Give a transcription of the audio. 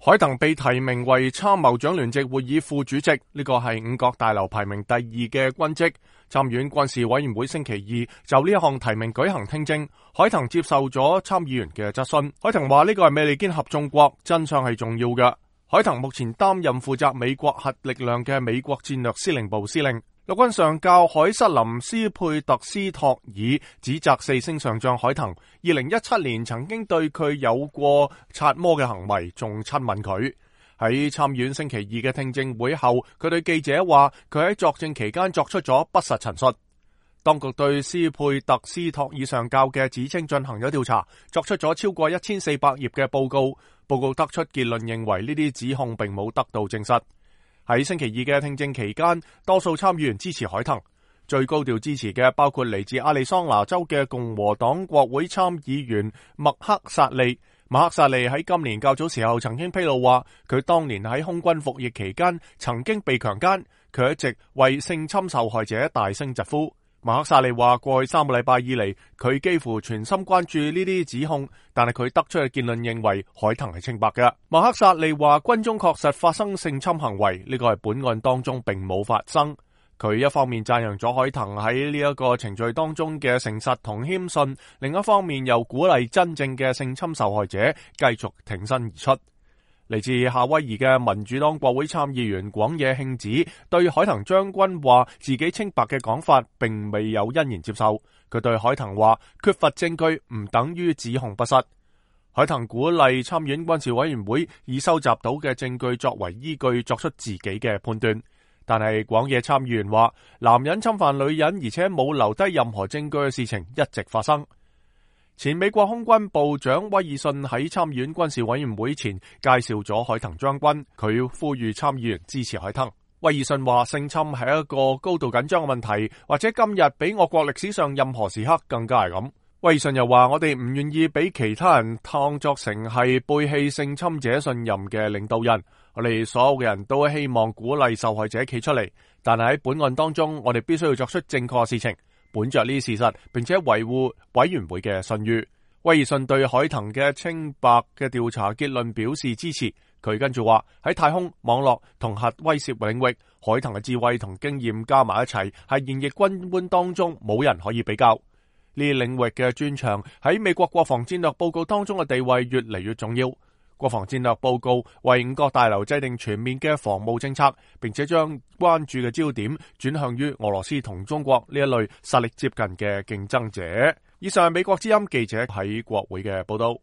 海騰被提名為參謀長聯席會議副主席，呢個係五角大樓排名第2嘅軍職。參院軍事委員會星期二就呢一項提名舉行聽證，海騰接受咗參議員嘅質詢。海騰話呢個係美利堅合眾國，真相係重要嘅。海騰目前擔任負責美國核力量嘅美國戰略司令部司令。陸軍上校海瑟林斯佩特斯托爾指責4星上將海騰2017年曾經對佢有過擦摸嘅行為，仲親吻佢。喺參院星期二嘅聽證會後，佢對記者話佢喺作證期間作出咗不實陳述。當局對斯佩特斯托爾上校嘅指稱進行咗調查，作出咗超過1400頁嘅報告。報告得出結論，認為呢啲指控並冇得到證實。喺星期二嘅聽證期間，多數參議員支持海騰，最高調支持嘅包括嚟自亞利桑那州嘅共和黨國會參議員麥克薩利。麥克薩利喺今年較早時候曾經披露話，佢當年喺空軍服役期間曾經被強姦，佢一直為性侵受害者大聲疾呼。麥克薩利話，過去3個禮拜以嚟，佢幾乎全心關注呢啲指控，但係佢得出嘅結論認為海騰係清白嘅。麥克薩利話，軍中確實發生性侵行為，呢個係本案當中並冇發生。佢一方面讚揚咗海騰喺呢一個程序當中嘅誠實同謙遜，另一方面又鼓勵真正嘅性侵受害者繼續挺身而出。嚟自夏威夷嘅民主黨國會參議員廣野慶子對海騰將軍話自己清白嘅講法並未有欣然接受。佢對海騰話，缺乏證據唔等於指控不實。海騰鼓勵參院軍事委員會以收集到嘅證據作為依據作出自己嘅判斷。但係廣野參議員話，男人侵犯女人而且冇留低任何證據嘅事情一直發生。前美國空軍部長威爾遜喺參議院軍事委員會前介紹咗海騰將軍，佢呼籲參議員支持海騰。威爾遜話，性侵係一個高度緊張嘅問題，或者今日比我國歷史上任何時刻更加係咁。威爾遜又話，我哋唔願意俾其他人當作成係背棄性侵者信任嘅領導人，我哋所有嘅人都希望鼓勵受害者企出嚟，但係喺本案當中，我哋必須要作出正確嘅事情，本着呢啲事實，並且維護委員會嘅信譽。威爾遜對海騰嘅清白嘅調查結論表示支持。佢跟住話，喺太空、網絡同核威懾領域，海騰嘅智慧同經驗加埋一齊，係現役軍官當中冇人可以比較。呢啲領域嘅專長喺美國國防戰略報告當中嘅地位越嚟越重要。國防戰略報告為五角大樓制定全面嘅防務政策，並且將關注嘅焦點轉向於俄羅斯同中國呢一類實力接近嘅競爭者。以上係美國之音記者喺國會嘅報道。